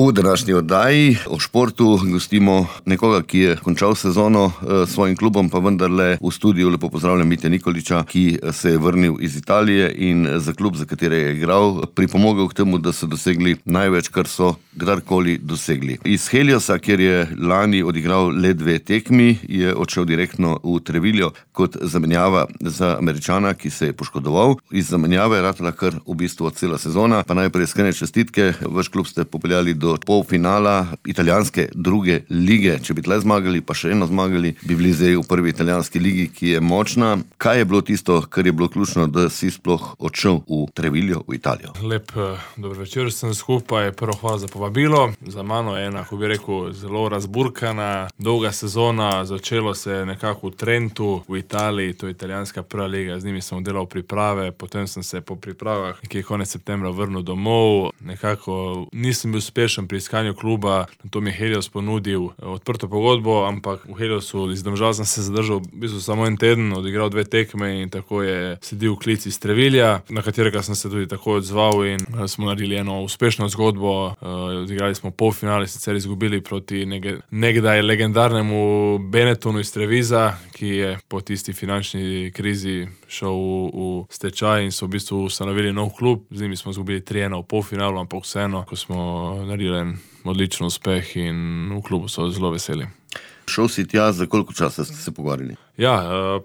V današnji oddaji o športu gostimo nekoga, ki je končal sezono s svojim klubom, pa vendarle v studiu lepo pozdravljam Mitja Nikolića, ki se je vrnil iz Italije in za klub, za katere je igral, pripomogel k temu, da so dosegli največ, kar so kdarkoli dosegli. Iz Heliosa, kjer je lani odigral le 2 tekmi, je odšel direktno v Treviglio kot zamenjava za Američana, ki se je poškodoval. Iz zamenjave je ratala kar v bistvu cela sezona. Pa najprej iskrene čestitke, vaš klub ste popeljali do polfinala italijanske druge lige. Če bi tle zmagali, pa še eno zmagali, bi bili zdaj v prvi italijanski ligi, ki je močna. Kaj je bilo tisto, kar je bilo ključno, da si sploh odšel v Treviglio, v Italijo? Lep dober večer, sem skupaj. Prvo hvala za povabilo. Za mano je ena, ko bi rekel, zelo razburkana, dolga sezona. Začelo se je nekako v Trentu, v Italiji, to je italijanska prva liga. Z njimi sem delal priprave, potem sem se po pripravah nekje konec septembra vrnil domov. Nekako nisem bil uspešen pri iskanju kluba, na to mi je Helios ponudil odprto pogodbo, ampak v Heliosu iz Domžal sem se zadržal v bistvu samo en teden, odigral 2 tekme in tako je sledil klic iz Treviglja, na katerega sem se tudi tako odzval in smo naredili eno uspešno zgodbo. Odigrali smo polfinale, sicer izgubili proti nekdaj legendarnemu Benettonu iz Treviza, ki je po tisti finančni krizi šel v stečaj in so v bistvu ustanovili nov klub. Z njimi smo izgubili 3-1 v polfinalu, ampak vseeno, ko smo naredili en odličen uspeh in v klubu so zelo veseli. Šel si tja, za koliko časa ste se pogovarjali? Ja,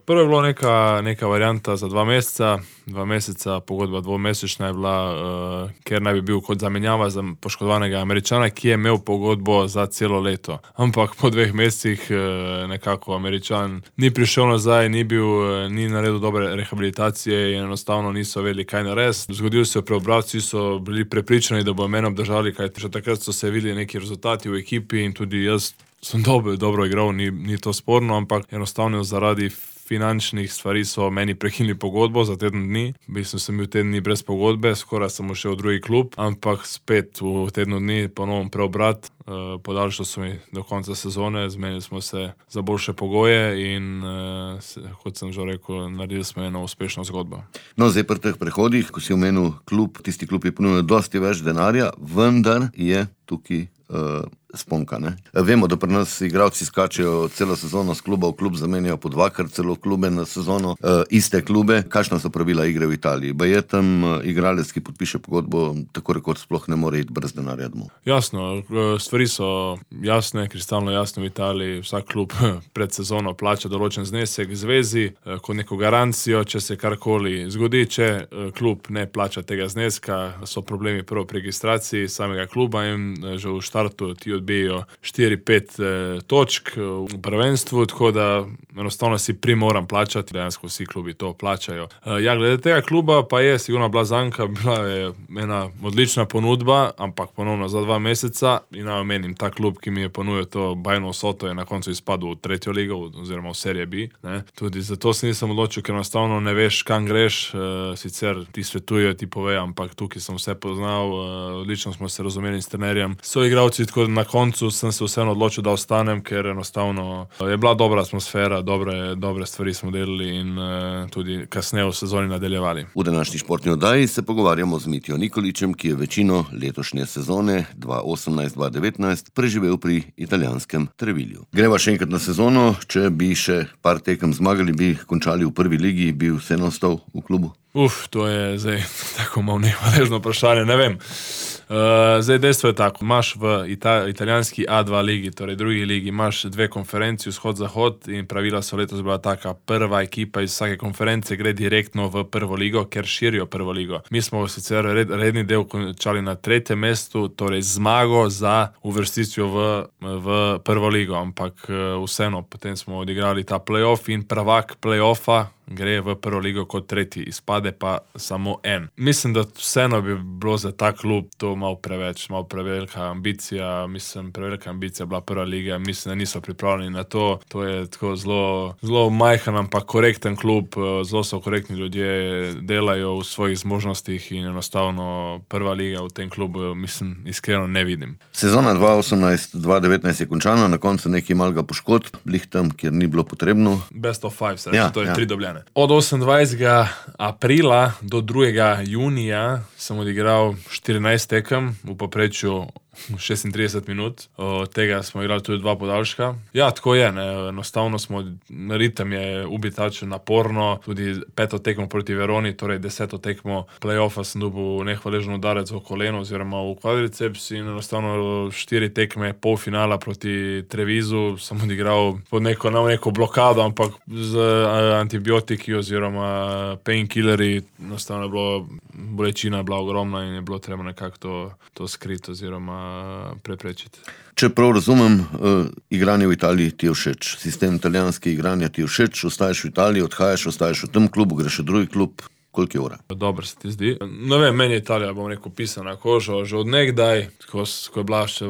prvo je bilo neka varianta za 2 meseca. 2 meseca, pogodba 2-mesečna je bila, ker naj bi bil kot zamenjava za poškodovanega Američana, ki je imel pogodbo za celo leto. Ampak po 2 mesecih nekako Američan ni prišel nazaj, ni naredil dobre rehabilitacije in enostavno niso vedeli, kaj narediti. Zgodil se je preobrat, vsi so bili prepričani, da bo mene obdržali, kajti že takrat so se videli neki rezultati v ekipi in tudi jaz sem dobro igral, ni to sporno, ampak enostavno zaradi finančnih stvari so meni prekinili pogodbo za teden dni. V bistvu sem bil teden dni brez pogodbe, skoraj sem šel v drugi klub, ampak spet v tednu dni ponovno preobrat. Podaljšali so mi do konca sezone, zmenili smo se za boljše pogoje in kot sem že rekel, naredili smo eno uspešno zgodbo. No, zdaj pri teh prehodih, ko si omenil klub, tisti klub je ponudil dosti več denarja, vendar je tukaj sponka, ne? Vemo, da pri nas igralci skačejo celo sezono s kluba v klub, zamenjajo po 2-krat celo klube na sezono, iste klube. Kakšna so pravila igre v Italiji? Je tam igralec, ki podpiše pogodbo, tako rekoč sploh ne more iti brez denarja domov? Jasno, stvari so jasne, kristalno jasne v Italiji. Vsak klub pred sezono plača določen znesek zvezi, kot neko garancijo, če se karkoli zgodi. Če klub ne plača tega zneska, so problemi prvo pri registraciji samega kluba in že v štartu ti odbijajo 4-5 točk v prvenstvu, tako da enostavno si primoran plačati, dejansko vsi klubi to plačajo. Ja, glede tega kluba pa je sigurno bila zanka, bila je ena odlična ponudba, ampak ponovno za 2 meseca in naj omenim, ta klub, ki mi je ponudil to bajno vsoto, je na koncu izpadel v 3. ligo oziroma v Serie B. Ne? Tudi zato se nisem odločil, ker enostavno ne veš, kam greš, sicer ti svetujejo, ti povejo, ampak tukaj sem vse poznal, odlično smo se razumeli s trenerjem. So igralci, tako da na koncu sem se vseeno odločil, da ostanem, ker enostavno je bila dobra atmosfera, dobre stvari smo delali in tudi kasneje v sezoni nadaljevali. V današnji športni oddaji se pogovarjamo z Mitjo Nikolićem, ki je večino letošnje sezone 2018-2019 preživel pri italijanskem Treviglju. Greva še enkrat na sezono, če bi še par tekem zmagali, bi končali v prvi ligi, bi vseeno ostal v klubu? To je zdaj tako malo nevaležno vprašanje, ne vem. Zdaj dejstvo je tako, imaš v italijanski A2 ligi, torej drugi ligi, imaš 2 konferenci, vzhod-zahod, in pravila so letos bila taka, prva ekipa iz vsake konference gre direktno v prvo ligo, ker širijo prvo ligo. Mi smo sicer redni del končali na 3. mestu, torej zmago za uvrstitvijo v prvo ligo, ampak vseeno, potem smo odigrali ta play-off in prvak play-offa gre v prvo ligo kot 3., izpade pa samo en. Mislim, da vseeno bi bilo za ta klub to malo prevelika ambicija. Prevelika ambicija bila prva liga, mislim, da niso pripravljeni na to. To je tako zelo majhen, ampak korekten klub, zelo so korektni ljudje, delajo v svojih zmožnostih in enostavno prva liga v tem klubu, mislim, iskreno ne vidim. Sezona 2018-2019 je končana, na koncu nekaj malega poškodb, blih tam, kjer ni bilo potrebno. Best of 5, se reče, to je 3 dobljene. Od 28. aprila do 2. junija sem odigral 14 tekem, v povprečju 36 minut, od tega smo igrali tudi 2 podaljška. Ja, tako je, ne, enostavno ritem je ubitačen, naporno, tudi 5. tekmo proti Veroni, torej 10. tekmo play-offa sem dobil nehvaležen udarec v koleno oziroma v kvadriceps in enostavno 4 tekme polfinala proti Trevisu sem odigral pod neko blokado, ampak z antibiotiki oziroma painkillerji, enostavno je bilo, bolečina je bila ogromna in je bilo treba nekako to skriti oziroma preprečiti. Če prav razumem, igranje v Italiji ti je všeč, sistem italijanske igranja ti je všeč, ostaješ v Italiji, odhajaš, ostaješ v tem klubu, greš v drugi klub, koliko je ura? Dobro se ti zdi. Ne vem, meni je Italija, pisana na kožo, že od nekdaj, ko je bila še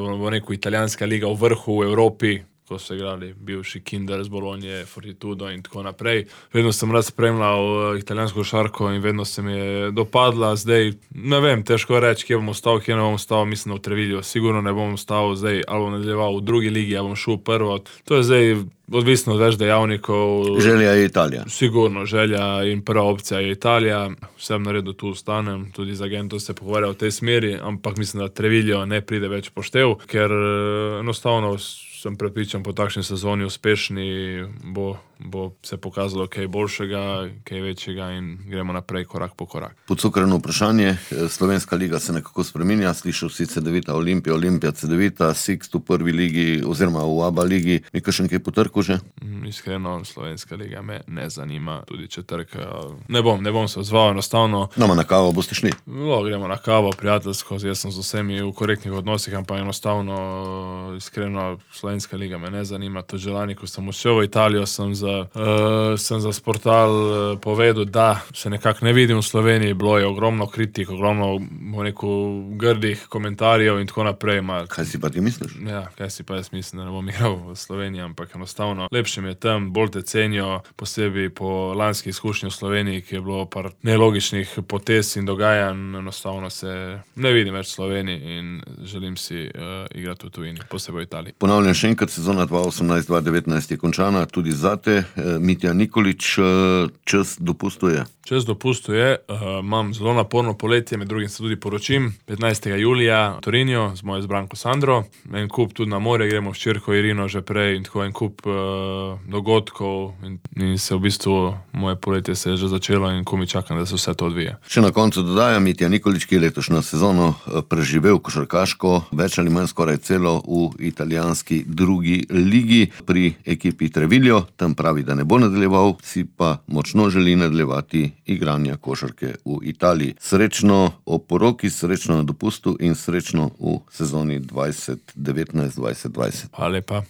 italijanska liga v vrhu v Evropi, ko so igrali bivši Kinder z Bologna, Fortitudo in tako naprej. Vedno sem rad spremljal italijansko košarko in vedno se mi je dopadla. Zdaj, ne vem, težko reči, kje bom ostal, kje ne bom ostal, mislim, v Treviglju. Sigurno ne bom ostal zdaj, ali bom nadaljeval v drugi ligi, ali bom šel prvo. To je zdaj odvisno od več dejavnikov. Želja je Italija. Sigurno, želja in prva opcija je Italija. Vsem naredu tu ostanem, tudi z agentom se pogovarja v tej smeri, ampak mislim, da Trevigljo ne pride več poštev, ker enostavno sem prepričan, po takšni sezoni uspešni bo se pokazalo kaj boljšega, kaj večjega in gremo naprej korak po korak. Podcukrano vprašanje, slovenska liga se nekako spreminja, slišal si Cedevita Olimpija, Olimpija Cedevita, Sixt v prvi ligi oziroma v ABA ligi, je kakšen kaj potrkal že? Iskreno, slovenska liga me ne zanima, tudi če trka. Ne bom se odzval, enostavno. Nama na kavo boste šli? Gremo na kavo, prijateljsko, jaz sem z vsemi v korektnih odnosih, ampak enostavno, iskreno, slovenska liga me ne zanima. To že lani, ko sem šel v Italijo, sem za Sportal povedal, da se nekako ne vidim v Sloveniji, bilo je ogromno kritik, ogromno grdih komentarjev in tako naprej. Kaj si pa ti misliš? Ja, kaj si pa jaz mislim, da ne bom igral v Sloveniji, ampak enostavno lepše mi je tam, bolj te cenijo, posebej po lanski izkušnji v Sloveniji, ki je bilo par nelogičnih potez in dogajanj, enostavno se ne vidim več v Sloveniji in želim si igrati v tujini, posebej v Italiji. Ponavljam še enkrat, sezona 2018-2019 je končana, tudi zate. Mitja Nikolić, čas dopustuje? Čas dopustuje, imam zelo naporno poletje, med drugim se tudi poročim, 15. julija v Torinju z mojo izbranko Sandro, en kup tudi na morje, gremo s čerko Irino že prej in tako en kup dogodkov in se v bistvu moje poletje se je že začelo in ko mi čakam, da se vse to odvija. Še na koncu dodajam, Mitja Nikolić, ki je letošnjo sezono preživel košarkaško, več ali manj skoraj celo v italijanski drugi ligi pri ekipi Treviglio, tam pravi, da ne bo nadaljeval, si pa močno želi nadaljevati igranja košarke v Italiji. Srečno ob poroki, srečno na dopustu in srečno v sezoni 2019-2020. Hvala lepa.